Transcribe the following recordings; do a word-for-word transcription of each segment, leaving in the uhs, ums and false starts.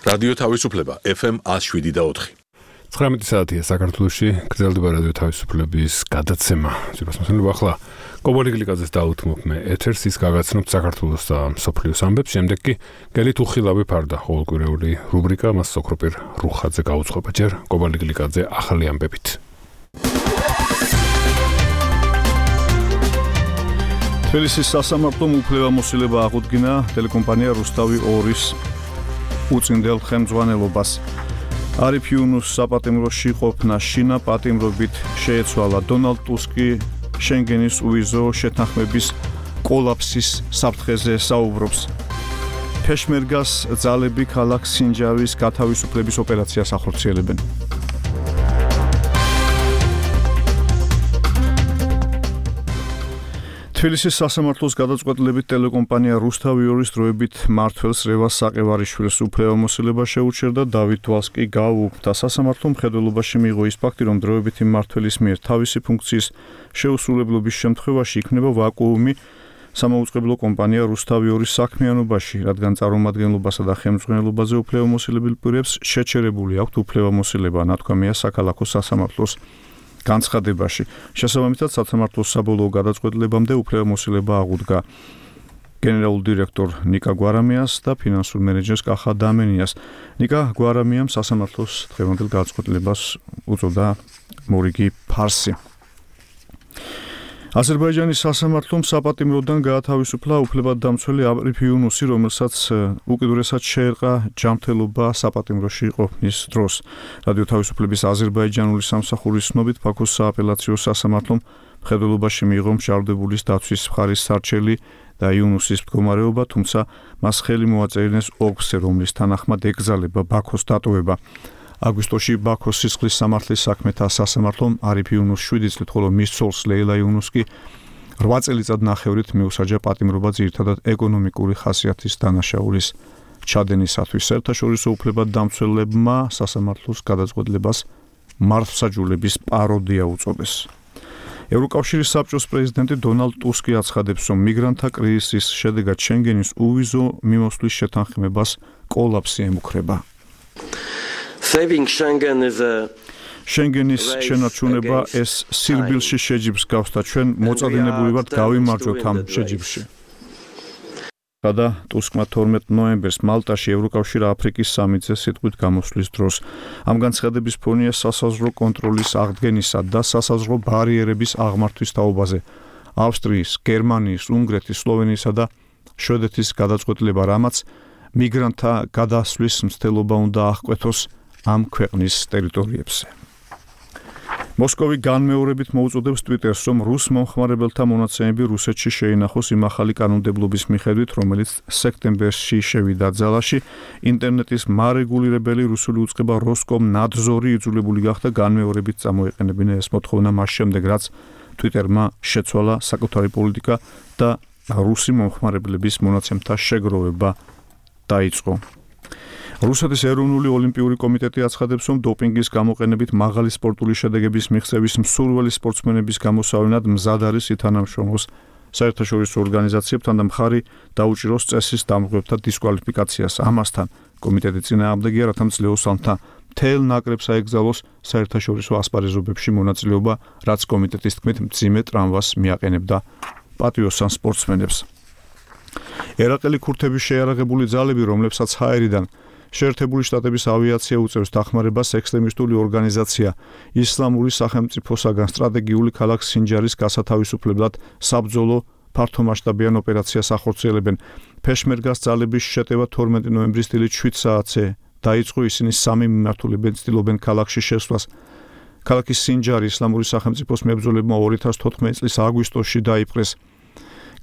რადიო თავისუფლება ეფ ემ one oh seven და four. ცხრამეტი საათია საქართველოში, გრძელდება რადიო თავისუფლების გადაცემა. ძირას მოსახლეობა ახლა კობალი გლიკაძეს დაუთმობ მე ეთერს, ის გაგაცნობთ საქართველოს და მსოფლიოს ამბებს, შემდეგ კი გელით უხილავი ფარდა, ყოველკვირეული რუბრიკა მას სოქროპირ რუხაძე გაუძღვება ჯერ კობალი გლიკაძე ახალი ამბებით. თბილისის სასამართლომ უფლებამოსილება აღუდგინა ტელეკომპანია რუსთავი ორის უწინდელ ხელმძღვანელობას. არიფ იუნუს საპატიმროში ყოფნა შინა პატიმრობით შეეცვალა. დონალდ ტუსკი შენგენის უვიზო შეთანხმების კოლაფსის საფრთხეზე საუბრობს. ფეშმერგას ძალები ქალაქ სინჯარის გათავისუფლების ოპერაციას ახორციელებენ. თბილისის სასამართლოს გადაწყვეტილებით ტელეკომპანია რუსთავი ორის დროებით მმართველს რევას საყევარიშვილს უფლებამოსილება შეუჩერდა. დავით დვალს კი გააუქმდა. სასამართლომ მხედველობაში მიიღო ის ფაქტი, რომ დროებითი მმართველის მიერ თავისი ფუნქციის შეუსრულებლობის შემთხვევაში იქნება ვაკუუმი სამაუწყებლო კომპანია რუსთავი ორის საქმიანობაში, რადგან წარმომადგენლობასა და ხელმძღვანელობაზე უფლებამოსილებელ პირებს შეჩერებული აქვთ უფლებამოსილება, ნათქვამია საქალაქო სასამართლოს განცხადებაში. შესაბამისად, სასამართლოს საბოლოო გადაწყვეტილებამდე უფლებამოსილება აღუდგა გენერალურ დირექტორ ნიკა გვარამიას და ფინანსურ მენეჯერს კახა დამენიას. ნიკა გვარამიამ სასამართლოს დღევანდელ გადაწყვეტილებას უწოდა მორიგი ფარსი. აზერბაიჯანის სასამართლომ საპატიმროდან გაათავისუფლა უფლებადდამცველი არიფ იუნუსი, რომელსაც უკიდურესად შეერყა ჯანმრთელობა საპატიმროში ყოფნის დროს. რადიო თავისუფლების აზერბაიჯანული სამსახურის ცნობით, ბაქოს სააპელაციო სასამართლომ მხედველობაში მიიღო მჟავდებულის დაცვის მხარის სარჩელი და იუნუსის მდგომარეობა, თუმცა მას ხელი მოაწერინეს ოლქზე, რომლის თანახმად ეკრძალება ბაქოს დატოვება. აგვისტოში ბაქოს სისხლის სამართლის საქმეთა სასამართლომ არიფ იუნუსს შვიდი წლით, ხოლო მის ცოლს ლეილა იუნუსს კი რვა წელიწად ნახევრით მიუსაჯა პატიმრობა ძირითადად ეკონომიკური ხასიათის დანაშაულის ჩადენისათვის. საერთაშორისო უფლებადდამცველებმა სასამართლოს გადაწყვეტილებას მართლმსაჯულების პაროდია უწოდეს. ევროკავშირის საბჭოს პრეზიდენტი დონალდ ტუსკი აცხადებს, რომ მიგრანტთა კრიზისის შედეგად შენგენის უვიზო მიმოსვლის შეთანხმებას კოლაფსი ემუქრება. Saving Schengen is a შენგენის შენარჩუნება ეს სირბილში შეჯიბს გავს და ჩვენ მოწადინებული ვართ გავიმარჯვოთ ამ შეჯიბში. გადა ტუსკმა თორმეტ ნოემბერს მალტაში ევროკავშირა აფრიკის სამიტზე სიტყვით გამოსვლის დროს. ამ განცხადების ფონია სასაზღვრო კონტროლის აღდგენისა და სასაზღვრო ბარიერების აღმართვის თაობაზე. ავსტრიის, გერმანიის, უნგრეთის, სლოვენიისა და შვედეთის გადაწყვეტილება, რამაც მიგრანტთა გადასვლის მცდელობა უნდა აღკვეთოს ამ ქვეყნის ტერიტორიებზე. მოსკოვი განმეორებით მოუწოდებს ტვიტერს, რომ რუს მომხმარებელთა მონაცემები რუსეთში შეინახოს იმ ახალი კანონმდებლობის მიხედვით, რომელიც სექტემბერში შევიდა ძალაში. ინტერნეტის მარეგულირებელი რუსული უწყება როსკომნადზორი იძულებული გახდა განმეორებით წამოეყენებინა ეს მოთხოვნა მას შემდეგ, რაც ტვიტერმა შეცვალა საკუთარი პოლიტიკა და რუსი მომხმარებლების მონაცემთა შეგროვება დაიწყო. რუსეთის ეროვნული ოლიმპიური კომიტეტი აცხადებს, რომ დოპინგის გამოყენებით მაღალი სპორტული შედეგების მიღწევის მსურველი სპორტსმენების გამოსავლენად მზად არის ითანამშრომლოს საერთაშორისო ორგანიზაციებთან და მხარი დაუჭიროს წესის დამღვრებთა დისკვალიფიკაციას. ამასთან კომიტეტი წინააღმდეგია, რათა მძლეოსალთა მთელ ნაკრებს აეკრძალოს საერთაშორისო ასპარეზობებში მონაწილეობა, რაც კომიტეტის თქმით მძიმე ტრამვას მიაყენებდა პატიოსან სპორტსმენებს. ერაყელი ქურთების შეიარაღებული ძალები, რომლებსაც ჰაერიდან შეერთებული შტატების ავიაცია უწევს დახმარებას, ექსტრემისტული ორგანიზაცია ისლამური სახელმწიფოსაგან სტრატეგიული ქალაქ სინჯარის გასათავისუფლებლად საბრძოლო ფართომასშტაბიან ოპერაციას ახორციელებენ. ფეშმერგას ძალების შეტევა თორმეტი ნოემბრის დილით შვიდ საათზე დაიწყო. ისინი სამი მიმართულებენ ცდილობენ ქალაქში შესვლას. ქალაქის სინჯარი ისლამური სახელმწიფოს მებრძოლებმა ორი ათას თოთხმეტი წლის აგვისტოში დაიპყრეს.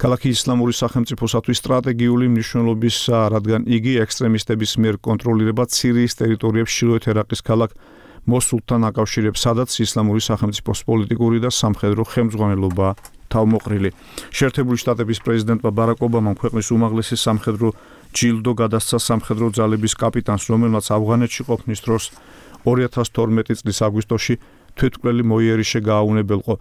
ქალაქი ისლამური სახელმწიფოსათვის სტრატეგიული მნიშვნელობისაა, რადგან იგი ექსტრემისტების მიერ კონტროლირება სირიის ტერიტორიებს ჩრდილოეთ ერაყის ქალაქ მოსულთან აკავშირებს, სადაც ისლამური სახელმწიფოს პოლიტიკური და სამხედრო ხელმძღვანელობა თავმოყრილი. შეერთებული შტატების პრეზიდენტმა ბარაკ ობამამ ქვეყნის უმაღლესი სამხედრო ჯილდო გადასცა სამხედრო ძალების კაპიტანს, რომელმაც ავღანეთში ყოფნის დროს ორი ათას თორმეტი წლის აგვისტოში თვითმკვლელი მოიერიშე გააუნებელყო.